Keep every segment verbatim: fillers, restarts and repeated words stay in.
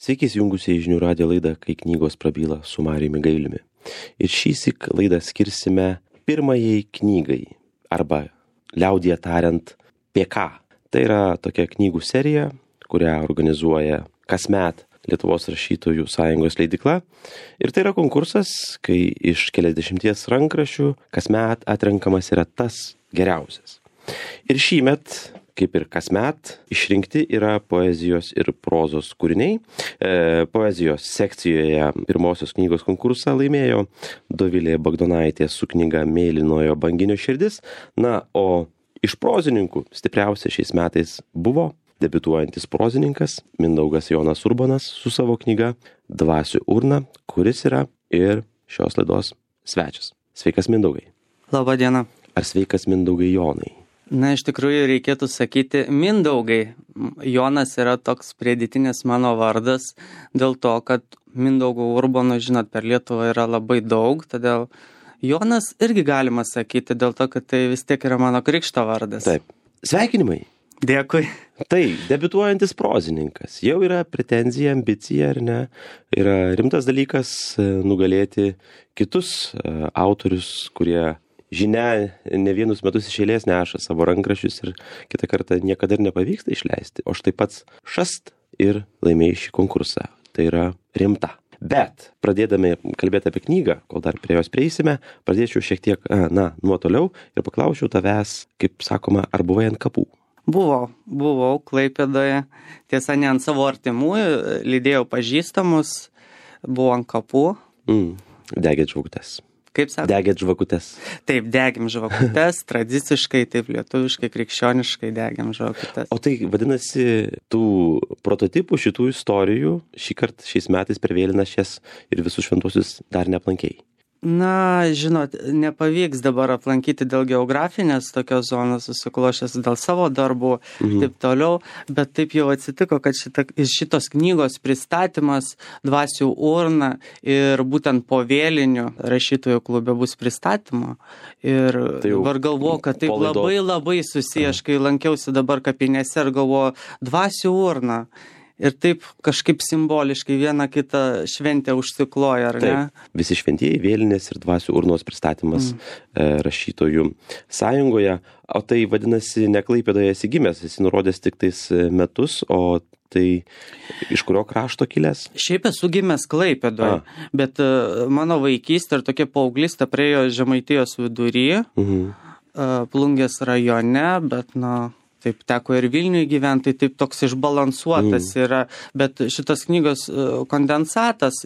Sveiki įsijungusiai žinių radijo laidą, kai knygos prabyla su Marijumi Gailiumi. Ir šįsyk laidą skirsime pirmajai knygai, arba liaudyje tariant P K. Tai yra tokia knygų serija, kurią organizuoja kasmet Lietuvos rašytojų sąjungos leidykla. Ir tai yra konkursas, kai iš keliasdešimties rankraščių kasmet atrenkamas yra tas geriausias. Ir šįmet, kaip ir kasmet, išrinkti yra poezijos ir prozos kūriniai. E, poezijos sekcijoje pirmosios knygos konkursą laimėjo Dovilė Bagdonaitė su knyga Mėlynojo banginio širdis. Na, o iš prozininkų stipriausia šiais metais buvo debiutuojantis prozininkas Mindaugas Jonas Urbonas su savo knyga Dvasių urna, kuris yra ir šios laidos svečias. Sveikas, Mindaugai. Labą dieną. Ar sveikas, Mindaugai Jonai? Na, iš tikrųjų reikėtų sakyti Mindaugai. Jonas yra toks pridėtinis mano vardas dėl to, kad Mindaugo Urbono, žinot, per Lietuvą yra labai daug, todėl Jonas irgi galima sakyti dėl to, kad tai vis tiek yra mano krikšto vardas. Taip. Sveikinimai. Dėkui. Tai, debiutuojantis prozininkas. Jau yra pretenzija, ambicija, ar ne? Yra rimtas dalykas nugalėti kitus autorius, kurie žinia ne vienus metus iš eilės neša savo rankraščius ir kitą kartą niekada ir nepavyksta išleisti. O štai pats šast ir laimėjai šį konkursą. Tai yra rimta. Bet, pradėdami kalbėti apie knygą, kol dar prie jos prieisime, pradėčiau šiek tiek, na, nuo toliau ir paklausčiau tavęs, kaip sakoma, ar buvai ant kapų? Buvau, buvau Klaipėdoje, tiesa, ne ant savo artimųjų, lydėjau pažįstamus, buvau ant kapų. Mm, degėt žvakutes. Kaip sako? Degėt žvakutes. Taip, degėm žvakutes, tradiciškai, taip lietuviškai, krikščioniškai degėm žvakutes. O tai vadinasi, tų prototipų šitų istorijų šį kartą šiais metais per vėlinas šias ir visus šventuosius dar neaplankėjai? Na, žinot, nepavyks dabar aplankyti dėl geografinės tokios zonos susiklošęs dėl savo darbų, mhm. taip toliau, bet taip jau atsitiko, kad šita, šitos knygos pristatymas Dvasių urna ir būtent po vėlinių rašytojų klube bus pristatymo. Ir tai dabar galvoju, kad taip labai labai susiję, aš kai lankiausi dabar kapinėse ir galvoju, Dvasių urna. Ir taip kažkaip simboliškai vieną kitą šventę užsikloja, ar ne? Taip, visi šventieji, vėlinės ir Dvasių urnos pristatymas mm. rašytojų sąjungoje. O tai vadinasi, ne Klaipėdoje esi gimęs, esi nurodęs tik tais metus, o tai iš kurio krašto kilęs? Šiaip esu gimęs Klaipėdoje, A. bet uh, mano vaikystė ir tokia paauglystė praėjo Žemaitijos vidury, mhm. uh, Plungės rajone, bet, na... Taip, teko ir Vilniuje gyventi, taip toks išbalansuotas mm. yra, bet šitas knygos kondensatas,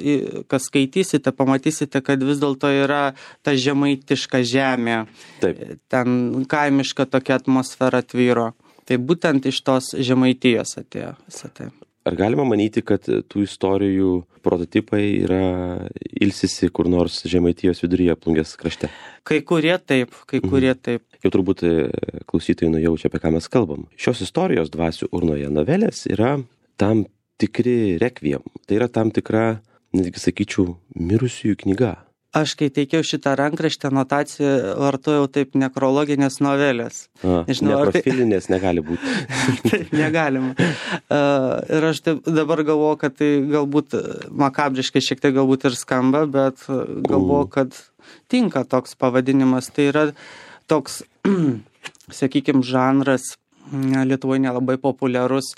kas skaitysite, pamatysite, kad vis dėlto yra ta žemaitiška žemė, taip. Ten kaimiška tokia atmosfera tvyro. Tai būtent iš tos Žemaitijos atėjo visą tai. Ar galima manyti, kad tų istorijų prototipai yra ilsisi kur nors Žemaitijos viduryje, Plungės krašte? Kai kurie taip, kai kurie taip. Jau turbūt klausytojai nujaučia, apie ką mes kalbam. Šios istorijos Dvasių urnoje novelės yra tam tikri rekviem. Tai yra tam tikra, netgi sakyčiau, mirusiųjų knyga. Aš, kai teikiau šitą rankraštę, anotaciją vartojau taip nekrologinės novelės. A, neprofilinės tai... negali būti. Taip, negalima. Uh, ir aš taip dabar galvoju, kad tai galbūt makabriškai šiek tiek galbūt ir skamba, bet galvoju, kad tinka toks pavadinimas. Tai yra toks, sakykime, žanras Lietuvoje nelabai populiarus.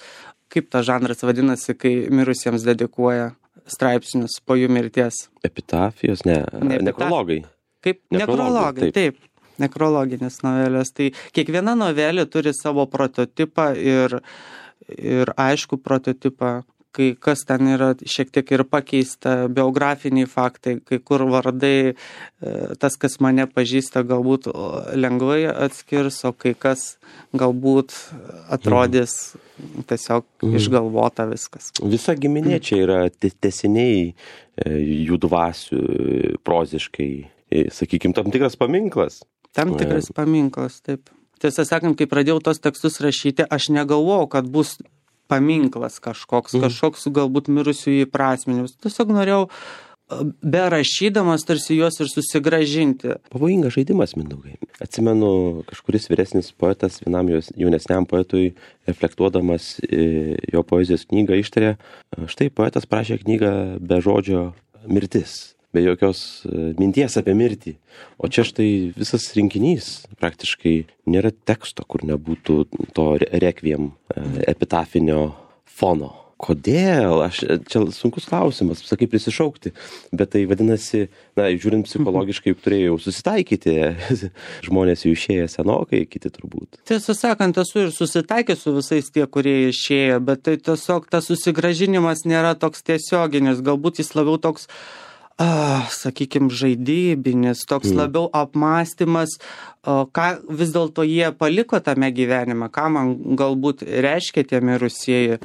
Kaip tas žanras vadinasi, kai mirusiems dedikuoja straipsnius po jų mirties? Epitafijos, ne, ne nekrologai. Kaip nekrologai, taip. taip, nekrologinės novelės. Tai kiekviena novelė turi savo prototipą ir, ir aišku prototipą, kai kas ten yra šiek tiek ir pakeista, biografiniai faktai, kai kur vardai, tas, kas mane pažįsta, galbūt lengvai atskirs, o kai kas galbūt atrodys mm. tiesiog mm. išgalvota viskas. Visa giminė čia yra tęsiniai jų dvasių proziškai, sakykime, tam tikras paminklas. Tam tikras paminklas, taip. Tiesą sakant, kai pradėjau tos tekstus rašyti, aš negalvojau, kad bus paminklas kažkoks, mm. kažkoks galbūt mirusiųjų įprasminimas. Tiesiog norėjau be rašydamas tarsi juos ir susigrąžinti. Pavojingas žaidimas, Mindaugai. Atsimenu, kažkuris vyresnis poetas vienam jaunesniam poetui reflektuodamas jo poezijos knygą ištarė, štai poetas prašė knygą be žodžio mirtis, be jokios minties apie mirtį. O čia štai visas rinkinys praktiškai nėra teksto, kur nebūtų to rekviem epitafinio fono. Kodėl? Aš, čia sunkus klausimas, sakai, prisišaukti, bet tai vadinasi, na, žiūrint psichologiškai, juk turėjau susitaikyti, žmonės jau išėję senokai, kiti turbūt. Tiesą sakant, esu ir susitaikęs su visais tie, kurie išėjo, bet tai tiesiog tas susigrąžinimas nėra toks tiesioginis, galbūt jis labiau toks, ah, sakykime, žaidybinis, toks mm. labiau apmąstymas, o, ką vis dėlto jie paliko tame gyvenime, ką man galbūt reiškia tie mirusieji.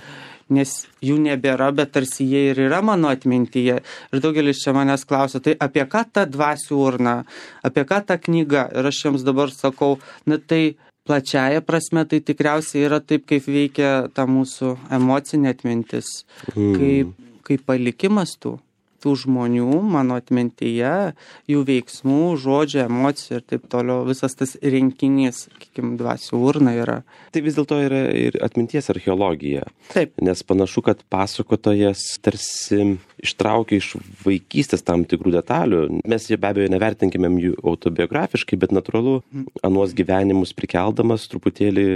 Nes jų nebėra, bet tarsi jie ir yra mano atmintyje. Ir daugelis čia manęs klausia, tai apie ką ta dvasių urna, apie ką ta knyga? Ir aš jiems dabar sakau, na tai plačiaja prasme, tai tikriausiai yra taip, kaip veikia ta mūsų emocinė atmintis, mm. kaip, kaip palikimas tų. tų žmonių, mano atmintyje, jų veiksmų, žodžių, emocijų ir taip toliau, visas tas rinkinys, sakykime, dvasių urna yra. Tai vis dėlto yra ir atminties archeologija. Taip. Nes panašu, kad pasakotojas tarsi ištraukia iš vaikystės tam tikrų detalių. Mes jie be abejo nevertinkime jų autobiografiškai, bet natūralu, anuos gyvenimus prikeldamas truputėlį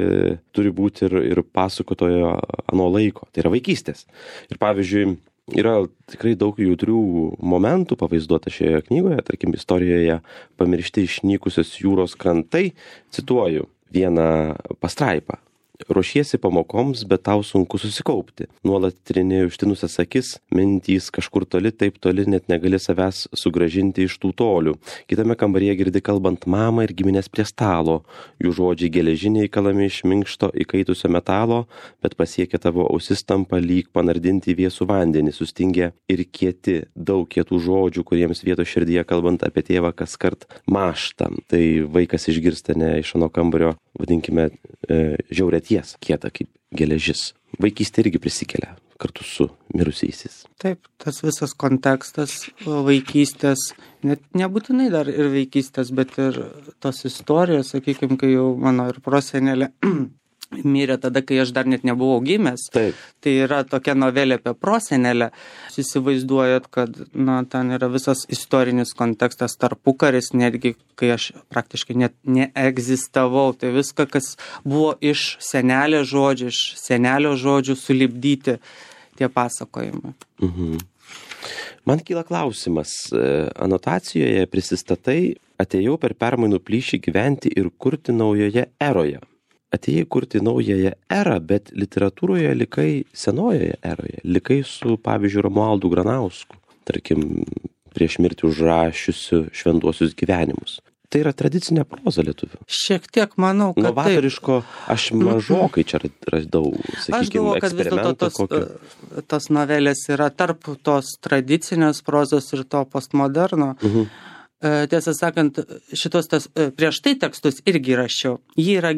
turi būti ir, ir pasakotojo ano laiko. Tai yra vaikystės. Ir pavyzdžiui, yra tikrai daug jautrių momentų pavaizduota šioje knygoje, tarkim, istorijoje pamiršti išnykusios jūros krantai, cituoju vieną pastraipą. Ruošiesi pamokoms, bet tau sunku susikaupti. Nuolat trini užtinusias akis, mintys kažkur toli, taip toli, net negali savęs sugrąžinti iš tų tolių. Kitame kambaryje girdi kalbant mamą ir giminės prie stalo. Jų žodžiai geležiniai kalami iš minkšto įkaitusio metalo, bet pasiekia tavo ausis tampa lyg panardinti į vėsų vandenį, sustingę ir kieti, daug kietų žodžių, kuriems vietos širdyje kalbant apie tėvą kaskart mąžta. Tai vaikas išgirsta ne iš ano kambario, vadinkime, e, žiaurėties, kieta kaip geležis. Vaikystė irgi prisikelia kartu su mirusiaisiais. Taip, tas visas kontekstas vaikystės, net nebūtinai dar ir vaikystės, bet ir tos istorijos, sakykime, kai jau mano ir prosenelė mirė tada, kai aš dar net nebuvau gimęs. Taip. Tai yra tokia novelė apie prosenelę. Jūs įsivaizduojat, kad na, ten yra visas istorinis kontekstas, tarpukaris, netgi kai aš praktiškai net neegzistavau. Tai viską, kas buvo iš senelio žodžių, iš senelio žodžių sulipdyti tie pasakojimai. Mhm. Man kyla klausimas. Anotacijoje prisistatai, atėjau per permainų plyšį gyventi ir kurti naujoje eroje. Atėjai kurti naująją erą, bet literatūroje likai senojoje eroje. Likai su, pavyzdžiui, Romualdu Granausku, tarkim, prieš mirtį užrašiusiu šventuosius gyvenimus. Tai yra tradicinė proza lietuvių. Šiek tiek manau, kad novatoriško, aš mažokai čia radau, sakykime, eksperimentą kokį. Tos novelės yra tarp tos tradicinės prozos ir to postmoderno. Mhm. Tiesą sakant, šitos tas, prieš tai tekstus irgi rašiau. Jie yra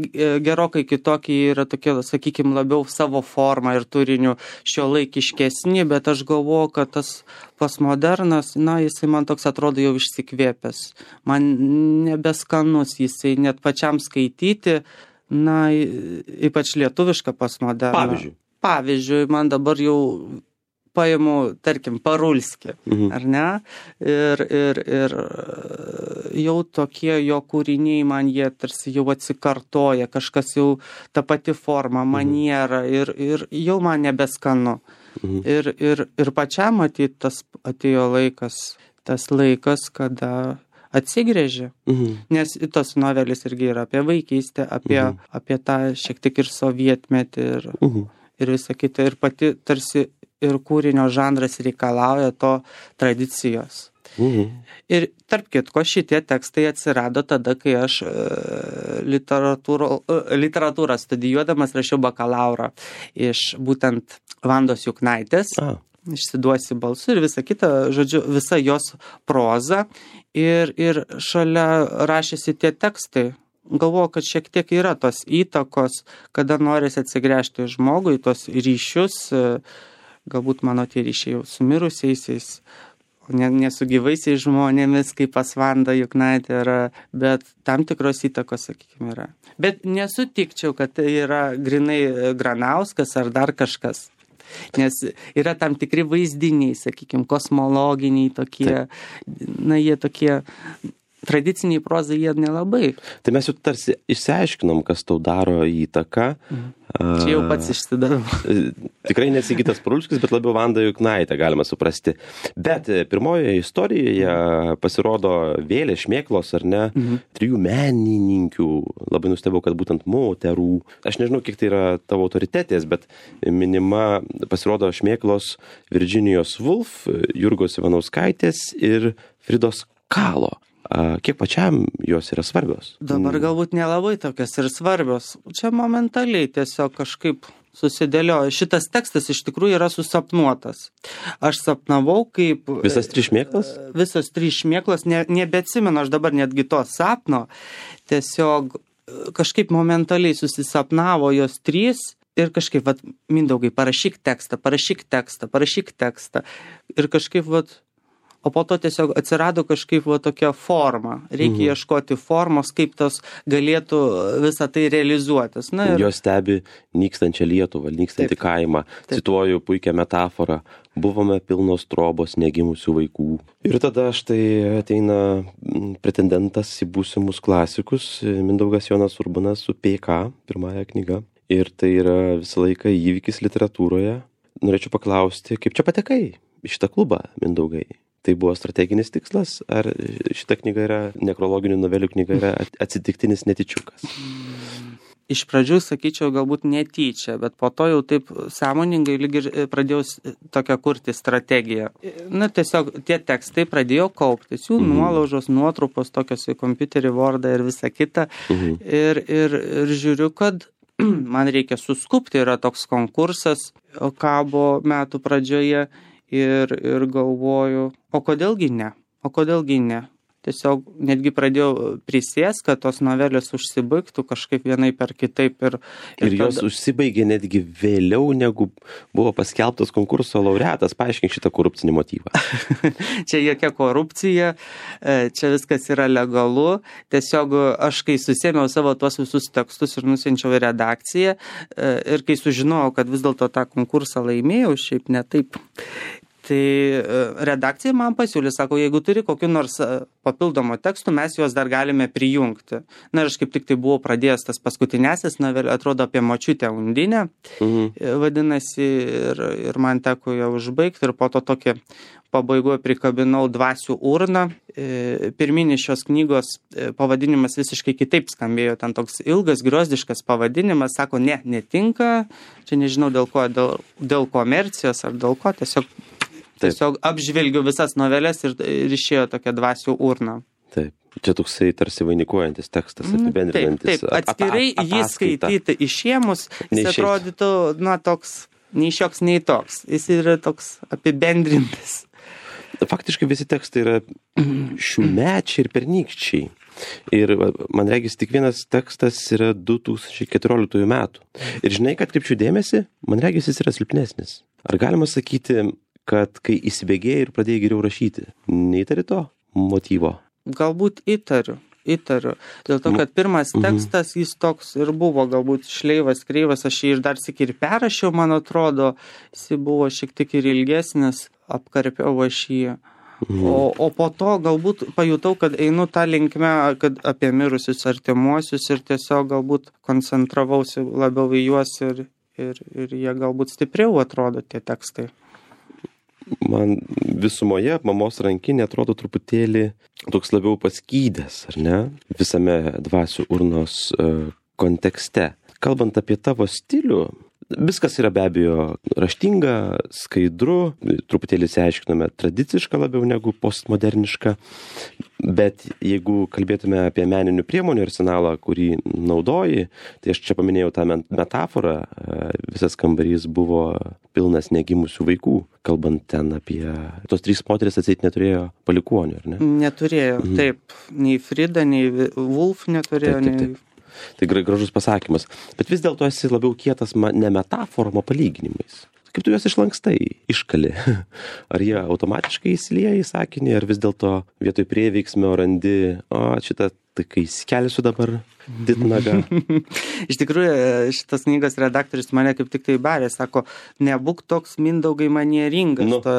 gerokai kitokie, yra tokie, sakykime, labiau savo formą ir turiniu šiuolaikiškesni, bet aš galvoju, kad tas postmodernas, na, jisai man toks atrodo jau išsikvėpęs. Man nebeskanus jisai net pačiam skaityti, na, ypač lietuvišką postmoderną. Pavyzdžiui. Pavyzdžiui, man dabar jau paimu, tarkim, Parulskį, mhm. ar ne? Ir, ir, ir jau tokie jo kūriniai man jie tarsi jau atsikartoja, kažkas jau ta pati forma, maniera ir, ir jau man nebeskanu. Mhm. Ir, ir, ir pačiam matyt tas atėjo laikas, tas laikas, kada atsigrėžė. Mhm. Nes tos novelis irgi yra apie vaikystę, apie, mhm. apie tą šiek tiek ir sovietmetį ir, mhm. ir visą kitą. Ir pati tarsi ir kūrinio žanras reikalauja to tradicijos. Mhm. Ir tarp kitko šitie tekstai atsirado tada, kai aš e, literatūro, e, literatūrą studijuodamas rašiau bakalaurą iš būtent Vandos Juknaitės. A. Išsiduosi balsu ir visa kita, žodžiu, visa jos proza. Ir, ir šalia rašėsi tie tekstai. Galvoju, kad šiek tiek yra tos įtakos, kada norisi atsigręžti žmogui, tos ryšius, galbūt mano tie ryšiai jau su mirusiaisiais, ne, ne su gyvaisiais žmonėmis, kaip pas Vandą Juknaitę yra, bet tam tikros įtakos, sakykime, yra. Bet nesutikčiau, kad tai yra grinai Granauskas ar dar kažkas. Nes yra tam tikri vaizdiniai, sakykime, kosmologiniai tokie, Taip. na jie tokie... Tradiciniai prozai jie nelabai. Tai mes jau tarsi išsiaiškinom, kas tau daro įtaką. Mhm. Čia jau pats išsidavau. Tikrai nesigytas Parulskis, bet labiau Vanda Juknaitė, galima suprasti. Bet pirmojoje istorijoje pasirodo Vėlė Šmėklos, ar ne, mhm. trijų menininkių. Labai nustebau, kad būtent moterų. Aš nežinau, kiek tai yra tavo autoritetės, bet minima pasirodo Šmėklos Virginijos Woolf, Jurgos Ivanauskaitės ir Fridos Kalo. Kiek pačiam jos yra svarbios? Dabar galbūt nelabai tokios ir svarbios. Čia momentaliai tiesiog kažkaip susidėliojo. Šitas tekstas iš tikrųjų yra susapnuotas. Aš sapnavau kaip... Visas trys šmėklos? Visas trys šmėklos, ne, nebeatsimenu aš dabar netgi to sapno. Tiesiog kažkaip momentaliai susisapnavo jos trys. Ir kažkaip, vat, Mindaugai, parašyk tekstą, parašyk tekstą, parašyk tekstą. Ir kažkaip, vat... O po to tiesiog atsirado kažkaip va tokia forma. Reikia mhm. ieškoti formos, kaip tos galėtų visą tai realizuotis. Na, ir... Jos stebi nykstančią Lietuvą, nykstantį kaimą. Taip. Cituoju puikią metaforą. Buvome pilnos trobos negimusių vaikų. Ir tada štai ateina pretendentas į būsimus klasikus, Mindaugas Jonas Urbanas su P K, pirmąja knyga. Ir tai yra visą laiką įvykis literatūroje. Norėčiau paklausti, kaip čia patekai į šitą klubą, Mindaugai? Tai buvo strateginis tikslas, ar šita knyga yra, nekrologinių novelių knyga yra atsitiktinis netyčiukas? Iš pradžių, sakyčiau, galbūt netyčia, bet po to jau taip sąmoningai lyg ir pradėjau tokią kurti strategiją. Na, tiesiog tie tekstai pradėjo kauptis, jų mhm. nuolaužos, nuotrupos, tokios į kompiuterį, Wordą ir visą kitą. Mhm. Ir, ir, ir žiūriu, kad man reikia suskupti, yra toks konkursas kabo metų pradžioje. Ir, ir galvoju, o kodėlgi ne, o kodėlgi ne. Tiesiog netgi pradėjau prisės, kad tos novelės užsibaigtų kažkaip vienaip ar kitaip. Ir, ir, ir jos tada... užsibaigė netgi vėliau, negu buvo paskelbtas konkurso laureatas. Paaiškink šitą korupcinį motyvą. Čia jokia korupcija, čia viskas yra legalu. Tiesiog aš, kai susėmiau savo tuos visus tekstus ir nusiunčiau į redakciją, ir kai sužinojau, kad vis dėlto tą konkursą laimėjau, šiaip ne taip. Tai redakcija man pasiūlė, sako, jeigu turi kokiu nors papildomo tekstų, mes juos dar galime prijungti. Na ir aš kaip tik tai buvau pradėjęs tas paskutinėsis novelė, atrodo apie močiutę Undinę, mhm. vadinasi, ir, ir man teko ją užbaigti ir po to tokį pabaigoje prikabinau Dvasių urną. Pirminis šios knygos pavadinimas visiškai kitaip skambėjo, ten toks ilgas, griozdiškas pavadinimas, sako, ne, netinka, čia nežinau dėl ko, dėl, dėl komercijos ar dėl ko, tiesiog Tiesiog apžvelgiu visas novelės ir, ir išėjo tokia Dvasių urna. Taip, čia toksai tarsi vainikuojantis tekstas, apibendrinantis. Taip, taip, atskirai ap, ap, jį skaityti išėmus, jis atrodytų, na, toks, nei šioks, nei toks. Jis yra toks apibendrintas. Faktiškai visi tekstai yra šiųmečiai ir pernykščiai. Ir man regis tik vienas tekstas yra du tūkstančiai keturioliktųjų metų. Ir žinai, kad kaip šių dėmesį, man regis jis yra silpnesnis. Ar galima sakyti, kad kai įsibėgėjai ir pradėjai geriau rašyti, neįtari to motyvo? Galbūt įtariu, įtariu. Dėl to, kad pirmas tekstas, jis toks ir buvo, galbūt šleivas, kreivas, aš jį ir dar sėk ir perrašiau, man atrodo, jis buvo šiek tiek ir ilgesnis, apkarpiau aš jį. Mhm. O, o po to galbūt pajutau, kad einu tą linkmę, kad apie mirusius artimuosius ir tiesiog galbūt koncentravausi labiau į juos ir, ir, ir jie galbūt stipriau atrodo tie tekstai. Man visumoje mamos rankinė atrodo truputėlį toks labiau paskydęs, ar ne? Visame Dvasių urnos uh, kontekste. Kalbant apie tavo stilių, viskas yra be abejo raštinga, skaidru, truputėlį išsiaiškinome tradiciška labiau negu postmoderniška, bet jeigu kalbėtume apie meninių priemonių arsenalą, kurį naudoji, tai aš čia paminėjau tą metaforą, visas kambarys buvo pilnas negimusių vaikų, kalbant ten apie... Tos trys moteris atseit neturėjo palikuonių, ar ne? Neturėjo, mhm. taip. Nei Frida, nei Woolf neturėjo, taip, taip, taip. nei... Tai gražus pasakymas. Bet vis dėlto esi labiau kietas ne metaforom, o palyginimais. kaip tu juos išlankstai, iškali. Ar jie automatiškai įsilieja į sakinį, ar vis dėlto vietoj prieveiksmio randi, o šitą tai kai įsikelsiu dabar ditnagą. Iš tikrųjų, šitas knygos redaktorius mane kaip tik tai barė, sako, nebūk toks Mindaugai manieringas. Nu. To,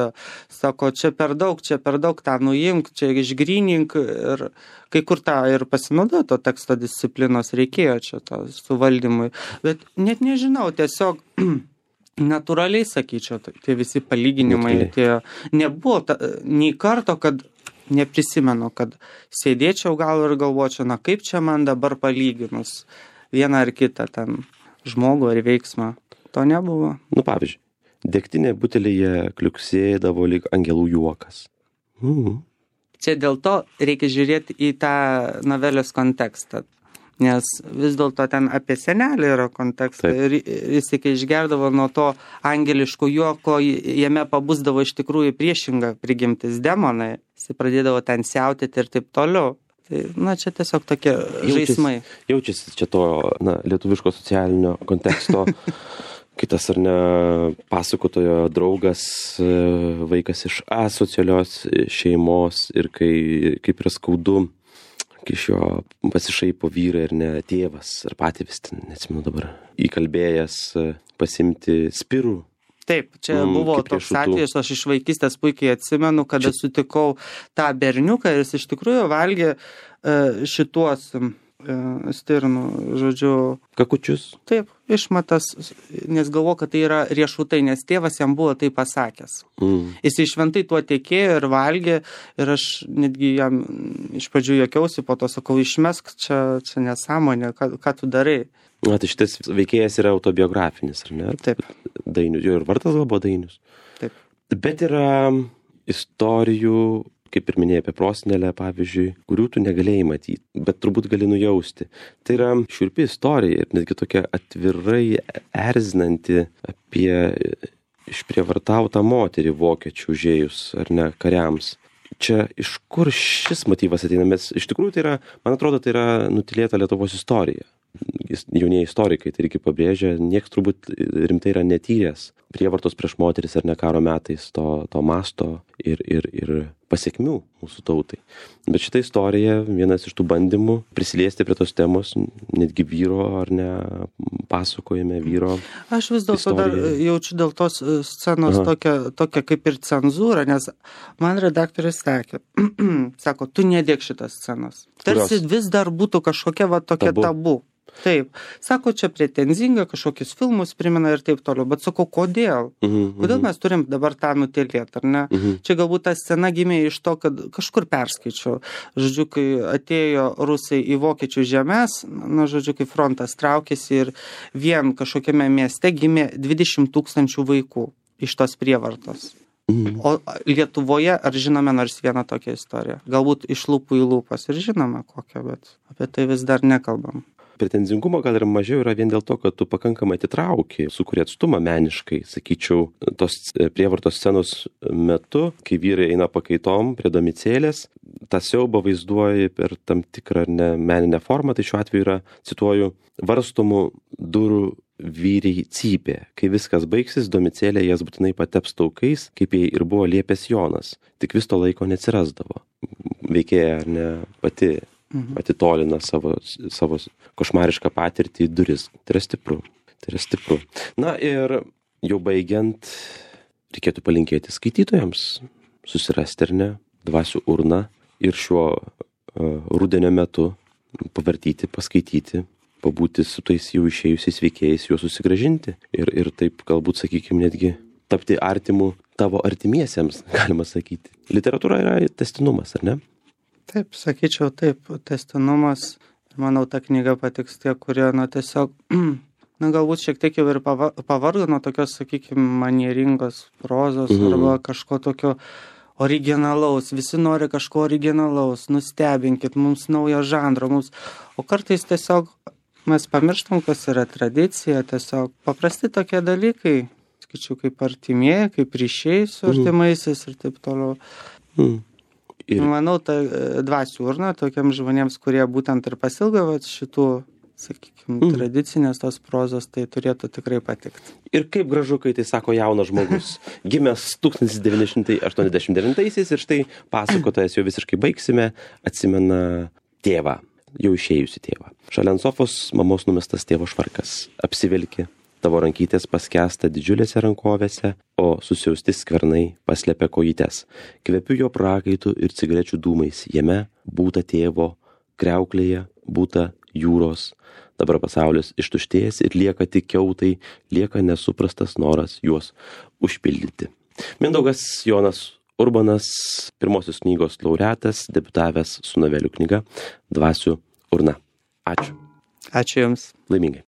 sako, čia per daug, čia per daug tą nuimk, čia išgrynink ir kai kur tą ir pasinaudojo to teksto disciplinos reikėjo čia to suvaldymui. Bet net nežinau, tiesiog natūraliai sakyčiau, tie visi palyginimai, tie nebuvo ta, nei karto, kad neprisimenu, kad sėdėčiau gal ir galvočiau, na kaip čia man dabar palyginus vieną ar kitą ten žmogų ar veiksmą. To nebuvo. Nu, pavyzdžiui, degtinė butelyje kliuksėdavo lyg angelų juokas. Mhm. Čia dėl to reikia žiūrėti į tą novelės kontekstą. Nes vis dėlto ten apie senelį yra kontekstas ir jis, kai išgerdavo nuo to angeliško juoko, jame pabusdavo iš tikrųjų priešinga prigimtis demonai, jis pradėdavo ten siautėti ir taip toliau. Tai, na, čia tiesiog tokie jaučiasi, žaismai. Jaučiasi čia to, na, lietuviško socialinio konteksto. Kitas ar ne pasakotojo draugas, vaikas iš asocialios šeimos ir kai, kaip yra skaudu, iš jo pasišaipo vyrai ir ne tėvas, ar patėvis, neatsimenu dabar, įkalbėjęs pasimti spirų. Taip, čia mm, buvo toks atvejis, aš iš vaikystės puikiai atsimenu, kada čia sutikau tą berniuką ir jis iš tikrųjų valgė šituos stirnų, žodžiu. Kakučius. Taip, išmatas, nes galvoju, kad tai yra riešutai, nes tėvas jam buvo tai pasakęs. Mm. Jis šventai tuo tekėjo ir valgė ir aš netgi jam iš pradžių juokiausi, po to sakau, išmesk, čia, čia nesąmonė, ką, ką tu darai. Na, tai šitas veikėjas yra autobiografinis, ar ne? Taip. Dainius, jo ir vardas buvo Dainius. Taip. Bet yra istorijų, kaip ir minėjai apie prosenelę, pavyzdžiui, kurių tu negalėjai matyti, bet turbūt gali nujausti. Tai yra šiurpi istorija ir netgi tokia atvirai erzinanti apie išprievartautą moterį vokiečių užėjus, ar ne, kariams. Čia iš kur šis motyvas ateina? Mes, iš tikrųjų, tai yra, man atrodo, tai yra nutilėta Lietuvos istorija. Jaunieji istorikai tai irgi pabrėžia, nieks turbūt rimtai yra netyręs prievartos prieš moteris ar ne karo metais to, to masto ir, ir, ir pasiekmių mūsų tautai. Bet šita istorija, vienas iš tų bandymų prisiliesti prie tos temos, netgi vyro ar ne pasakojime vyro. Aš vis dėlto dar jaučiu dėl tos scenos tokią, tokią kaip ir cenzūrą, nes man redaktorius sakė, sako, tu nedėk šitas scenos. Tarsi Kurios? Vis dar būtų kažkokia va tokia tabu. tabu. Taip. Sako, čia pretenzinga, kažkokius filmus primena ir taip toliau. Bet sako, kodėl? Uh-huh, kodėl mes turim dabar tą nutilėti, ar ne? Uh-huh. Čia galbūt ta scena gimė iš to, kad kažkur perskaičiau. Žodžiu, kai atėjo rusai į vokiečių žemės, na, žodžiu, kai frontas traukėsi ir vien kažkokiame mieste gimė dvidešimt tūkstančių vaikų iš tos prievartos. Uh-huh. O Lietuvoje ar žinome nors vieną tokią istoriją? Galbūt iš lūpų į lūpas ir žinome kokią, bet apie tai vis dar nekalbam. Pretenzingumo gal ir mažiau yra vien dėl to, kad tu pakankamai atitrauki, sukuri atstumą meniškai, sakyčiau, tos prievartos scenos metu, kai vyrai eina pakaitom prie domicėlės, tą siaubą vaizduoji per tam tikrą ne meninę formą, tai šiuo atveju yra, cituoju, varstomų durų vyriai cypė. Kai viskas baigsis, domicėlė jas būtinai pateps taukais, kaip jai ir buvo liepęs Jonas, tik vis to laiko neatsirasdavo. Veikėja ar ne pati atitolina savo, savo košmarišką patirtį į duris. Tai yra stipru. Tai yra stipru. Na ir jau baigiant, reikėtų palinkėti skaitytojams susirasti, ar ne, dvasių urną ir šiuo uh, rudenio metu pavartyti, paskaityti, pabūti su tais jau išėjusiais veikėjais, juos susigrąžinti ir, ir taip galbūt, sakykime, netgi tapti artimu tavo artimiesiems, galima sakyti. Literatūra yra tęstinumas, ar ne? Taip, sakyčiau, taip, tęstinumas. Manau, ta knyga patiks tie, kurie, na, tiesiog, na, galbūt šiek tiek jau ir pavargo nuo tokios, sakykime, manieringos prozos mhm. arba kažko tokio originalaus. Visi nori kažko originalaus, nustebinkit, mums naujo žanro, mums. O kartais tiesiog mes pamirštam, kas yra tradicija, tiesiog paprasti tokie dalykai, sakyčiau, kaip artimieji, kaip ryšiai su artimaisiais ir taip toliau. Mhm. Ir... Manau, ta dvasių urna tokiams žmonėms, kurie būtent ir pasilgo šitų sakykime, mm. tradicinės tos prozos, tai turėtų tikrai patikti. Ir kaip gražu, kai tai sako jaunas žmogus, gimęs tūkstantis devyni šimtai aštuoniasdešimt devintaisiais ir štai pasakotojas jau visiškai baigsime, atsimena tėvą, jau išėjusi tėvą. Šalia ant sofos mamos numestas tėvo švarkas, apsivilki, tavo rankytės paskęsta didžiulėse rankovėse, o susiausti skvernai paslepia kojytes. Kvepiu jo prakaitų ir cigarečių dūmais, jame būta tėvo, kriauklėje būta jūros. Dabar pasaulis ištuštėjęs ir lieka tik kiautai, lieka nesuprastas noras juos užpildyti. Mindaugas Jonas Urbanas, pirmosios knygos laureatas, debiutavęs su novelių knyga Dvasių urna. Ačiū. Ačiū Jums. Laimingai.